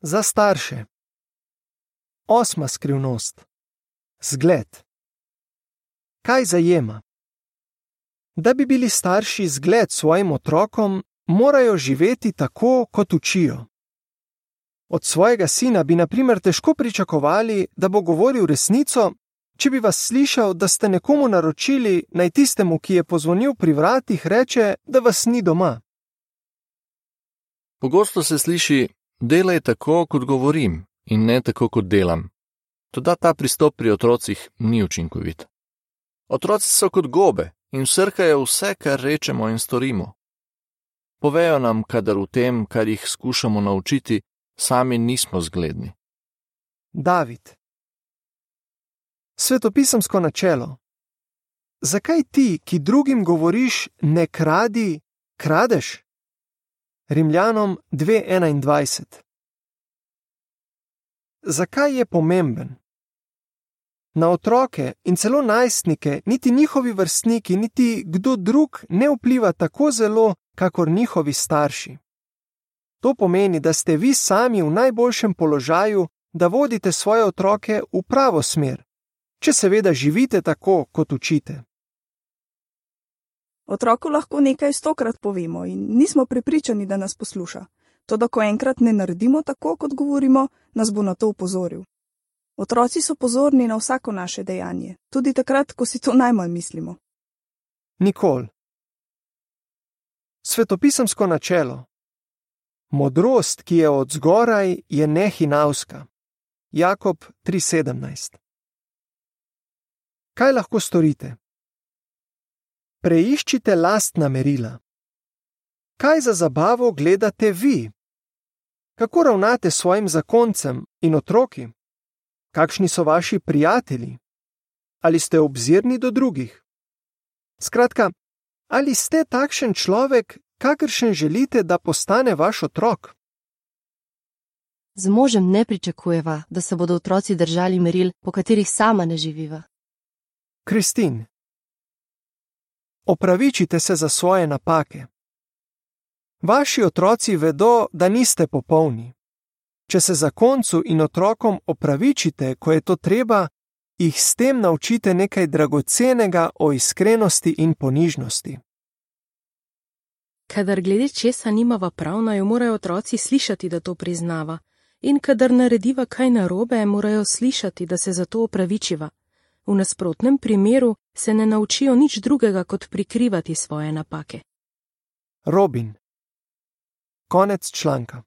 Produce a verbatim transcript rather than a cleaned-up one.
Za starše. Osma skrivnost. Zgled. Kaj zajema? Da bi bili starši zgled svojim otrokom, morajo živeti tako, kot učijo. Od svojega sina bi na primer težko pričakovali, da bo govoril resnico, če bi vas slišal, da ste nekomu naročili, naj tistemu, ki je pozvonil pri vratih, reče, da vas ni doma. Pogosto se sliši, delaj tako, kot govorim, in ne tako, kot delam. Toda ta pristop pri otrocih ni učinkovit. Otroci so kot gobe in vsrkajo vse, kar rečemo in storimo. Povejo nam, kadar v tem, kar jih skušamo naučiti, sami nismo zgledni. David. Svetopisemsko načelo. Zakaj ti, ki drugim govoriš, ne kradi, kradeš? Rimljanom dve enaindvajset. Zakaj je pomemben? Na otroke in celo najstnike niti njihovi vrstniki, niti kdo drug ne vpliva tako zelo, kakor njihovi starši. To pomeni, da ste vi sami v najboljšem položaju, da vodite svoje otroke v pravo smer, če seveda živite tako, kot učite. Otroku lahko nekaj stokrat povemo in nismo prepričani, da nas posluša. Toda ko enkrat ne naredimo tako, kot govorimo, nas bo na to opozoril. Otroci so pozorni na vsako naše dejanje, tudi takrat, ko si to najmanj mislimo. Nikol. Svetopisemsko načelo. Modrost, ki je od zgoraj, je nehinavska. Jakob tri sedemnajst. Kaj lahko storite? Preiščite lastna merila. Kaj za zabavo gledate vi? Kako ravnate s svojim zakoncem in otroki? Kakšni so vaši prijatelji? Ali ste obzirni do drugih? Skratka, ali ste takšen človek, kakršen želite, da postane vaš otrok? Z možem ne pričakujeva, da se bodo otroci držali meril, po katerih sama ne živiva. Kristin. Opravičite se za svoje napake. Vaši otroci vedo, da niste popolni. Če se zakoncu in otrokom opravičite, ko je to treba, jih s tem naučite nekaj dragocenega o iskrenosti in ponižnosti. Kadar glede česa nimava prav, naj jo morajo otroci slišati, da to priznava. In kadar narediva kaj narobe, morajo slišati, da se za to opravičiva. V nasprotnem primeru se ne naučijo nič drugega, kot prikrivati svoje napake. Robin. Konec članka.